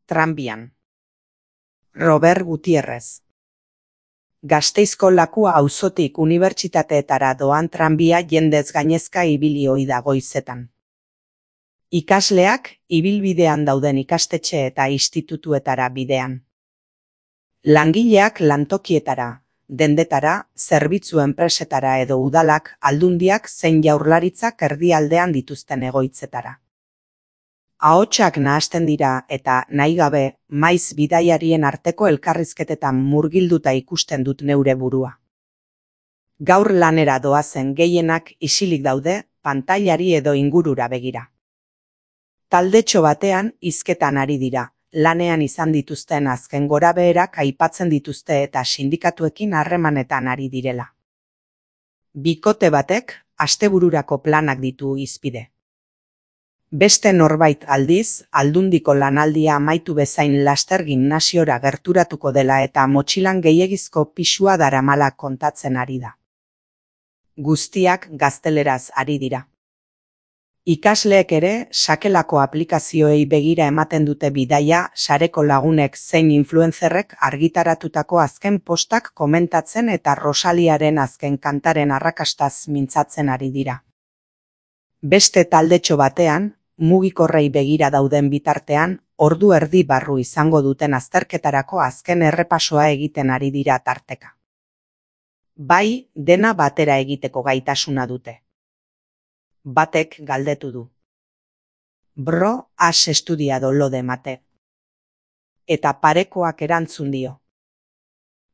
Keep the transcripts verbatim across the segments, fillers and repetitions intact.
Tranbian. Robert Gutierrez. Gasteizko Lakua auzotik unibertsitateetara doan tranbia jendez gainezka ibili ohi da goizetan. Ikasleak ibilbidean dauden ikastetxe eta institutuetara bidean. Langileak lantokietara, dendetara, zerbitzu enpresetara edo udalak, aldundiak zein jaurlaritzak erdialdean dituzten egoitzetara. Ahotsak nahasten dira eta nahi gabe maiz bidaiarien arteko elkarrizketetan murgilduta ikusten dut neure burua. Gaur lanera doazen gehienak isilik daude, pantailari edo ingurura begira. Taldetxo batean hizketan ari dira, lanean izan dituzten azken gorabeherak aipatzen dituzte eta sindikatuekin harremanetan ari direla. Bikote batek astebururako planak ditu hizpide. Beste norbait aldiz, aldundiko lanaldia amaitu bezain laster gimnasiora gerturatuko dela eta motxilan gehiegizko pisua daramala kontatzen ari da. Guztiak gazteleraz ari dira. Ikasleek ere sakelako aplikazioei begira ematen dute bidaia sareko lagunek zein influencerrek argitaratutako azken postak komentatzen eta Rosaliaren azken kantaren arrakastaz mintzatzen ari dira. Beste taldetxo batean, mugikorrei begira dauden bitartean, ordu erdi barru izango duten azterketarako azken errepasoa egiten ari dira tarteka. Bai, dena batera egiteko gaitasuna dute. Batek galdetu du. Bro, has estudiado lo de mate. Eta parekoak erantzun dio.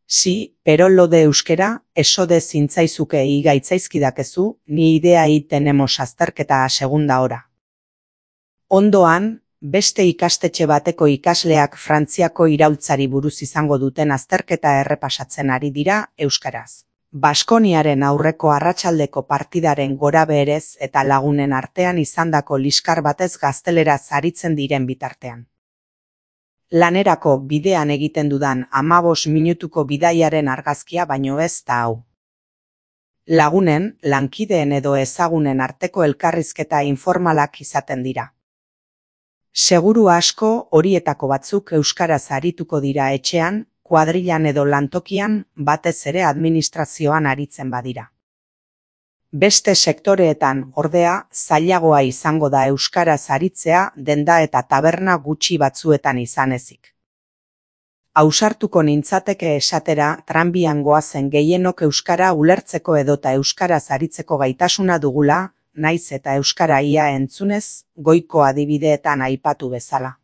Si, pero lo de euskera, eso de zintzaizuke igaitzaizkidakezu, ni idea y tenemos azterketa a segunda hora. Ondoan, beste ikastetxe bateko ikasleak Frantziako iraultzari buruz izango duten azterketa errepasatzen ari dira euskaraz. Baskoniaren aurreko arratsaldeko partidaren gorabeherez eta lagunen artean izandako liskar batez gazteleraz aritzen diren bitartean. Lanerako bidean egiten dudan hamabos minutuko bidaiaren argazkia baino ez da hau. Lagunen, lankideen edo ezagunen arteko elkarrizketa informalak izaten dira. Seguru asko horietako batzuk euskaraz arituko dira etxean, kuadrilan edo lantokian, batez ere administrazioan aritzen badira. Beste sektoreetan, ordea, zailagoa izango da euskaraz aritzea denda eta taberna gutxi batzuetan izan ezik. Ausartuko nintzateke esatera tranbian goazen gehienok euskara ulertzeko edota euskaraz aritzeko gaitasuna dugula, naiz eta euskara ia entzunez, goiko adibideetan aipatu bezala.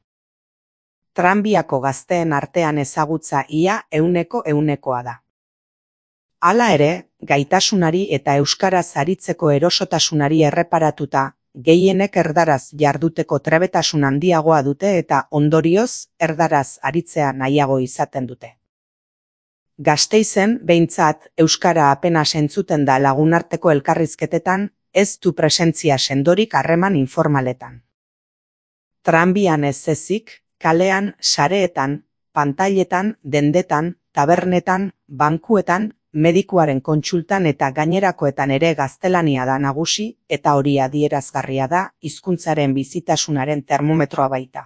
Tranbiako gazteen artean ezagutza ia euneko eunekoa da. Hala ere, gaitasunari eta euskaraz aritzeko erosotasunari erreparatuta, gehienek erdaraz jarduteko trebetasun handiagoa dute eta ondorioz erdaraz aritzea nahiago izaten dute. Gasteizen, behintzat, euskara apenas entzuten da lagunarteko elkarrizketetan, ez du presentzia sendorik harreman informaletan. Tranbian ez ezik, kalean, sareetan, pantailetan, dendetan, tabernetan, bankuetan, medikuaren kontsultan eta gainerakoetan ere gaztelania da nagusi eta hori adierazgarria da hizkuntzaren bizitasunaren termometroa baita.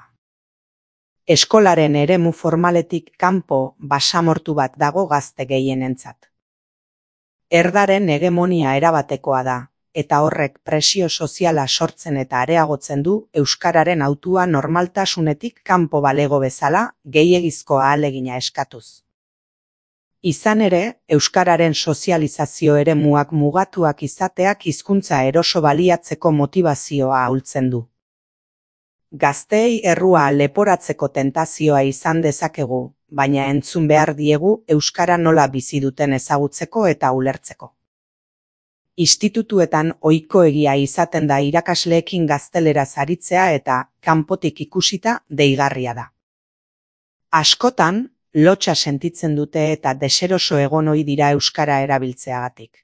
Eskolaren eremu formaletik kanpo basamortu bat dago gazte gehienentzat. Erdaren hegemonia erabatekoa da, eta horrek presio soziala sortzen eta areagotzen du euskararen hautua normaltasunetik kanpo balego bezala gehiegizko ahalegina eskatuz. Izan ere, euskararen sozializazio eremuak mugatuak izateak hizkuntza eroso baliatzeko motivazioa ahultzen du. Gazteei errua leporatzeko tentazioa izan dezakegu, baina entzun behar diegu euskara nola bizi duten ezagutzeko eta ulertzeko. Institutuetan ohikoegia izaten da irakasleekin gazteleraz aritzea eta kanpotik ikusita deigarria da. Askotan, lotsa sentitzen dute eta deseroso egon ohi dira euskara erabiltzeagatik.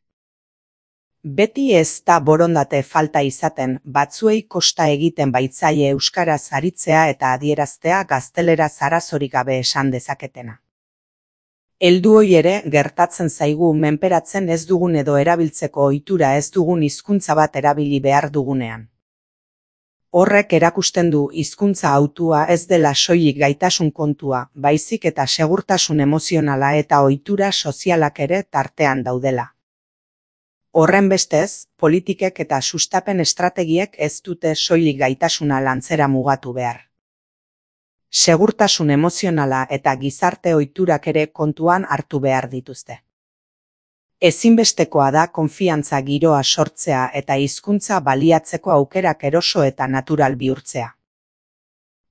Beti ez da borondate falta izaten batzuei kosta egiten baitzaie euskaraz aritzea eta adieraztea gazteleraz arazorik gabe esan dezaketena. Heldu hori ere gertatzen zaigu menperatzen ez dugun edo erabiltzeko ohitura ez dugun hizkuntza bat erabili behar dugunean. Horrek erakusten du hizkuntza hautua ez dela soilik gaitasun kontua, baizik eta segurtasun emozionala eta ohitura sozialak ere tartean daudela. Horrenbestez, politikek eta sustapen estrategiek ez dute soilik gaitasuna lantzera mugatu behar. Segurtasun emozionala eta gizarte ohiturak ere kontuan hartu behar dituzte. Ezinbestekoa da konfiantza giroa sortzea eta hizkuntza baliatzeko aukerak eroso eta natural bihurtzea.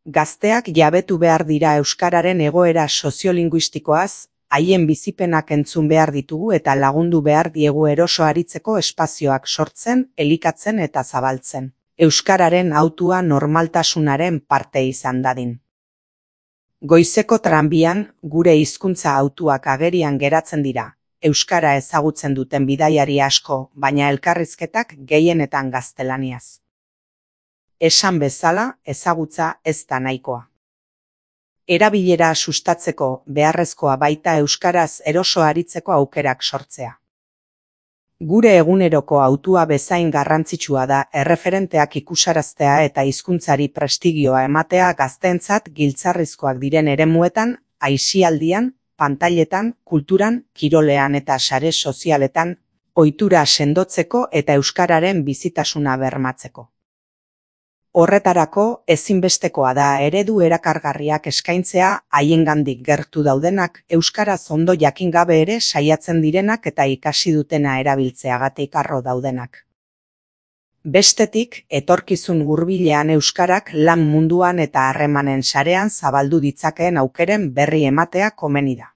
Gazteak jabetu behar dira euskararen egoera soziolinguistikoaz, haien bizipenak entzun behar ditugu eta lagundu behar diegu eroso aritzeko espazioak sortzen, elikatzen eta zabaltzen. Euskararen hautua normaltasunaren parte izan dadin. Goizeko tranbian, gure hizkuntza hautuak agerian geratzen dira. Euskara ezagutzen duten bidaiari asko, baina elkarrizketak gehienetan gaztelaniaz. Esan bezala, ezagutza ez da nahikoa. Erabilera sustatzeko beharrezkoa baita euskaraz eroso aritzeko aukerak sortzea. Gure eguneroko hautua bezain garrantzitsua da erreferenteak ikusaraztea eta hizkuntzari prestigioa ematea gazteentzat giltzarrizkoak diren eremuetan, aisialdian, pantailetan, kulturan, kirolean eta sare sozialetan, ohitura sendotzeko eta euskararen bizitasuna bermatzeko. Horretarako, ezinbestekoa da eredu erakargarriak eskaintzea haiengandik gertu daudenak, euskaraz ondo jakin gabe ere saiatzen direnak eta ikasi dutena erabiltzeagatik harro daudenak. Bestetik, etorkizun hurbilean euskarak lan munduan eta harremanen sarean zabaldu ditzakeen aukeren berri ematea komeni da.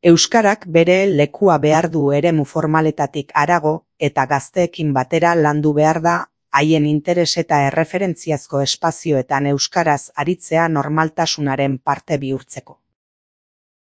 Euskarak bere lekua behar du eremu formaletatik harago eta gazteekin batera landu behar da haien interes eta erreferentziazko espazioetan euskaraz aritzea normaltasunaren parte bihurtzeko.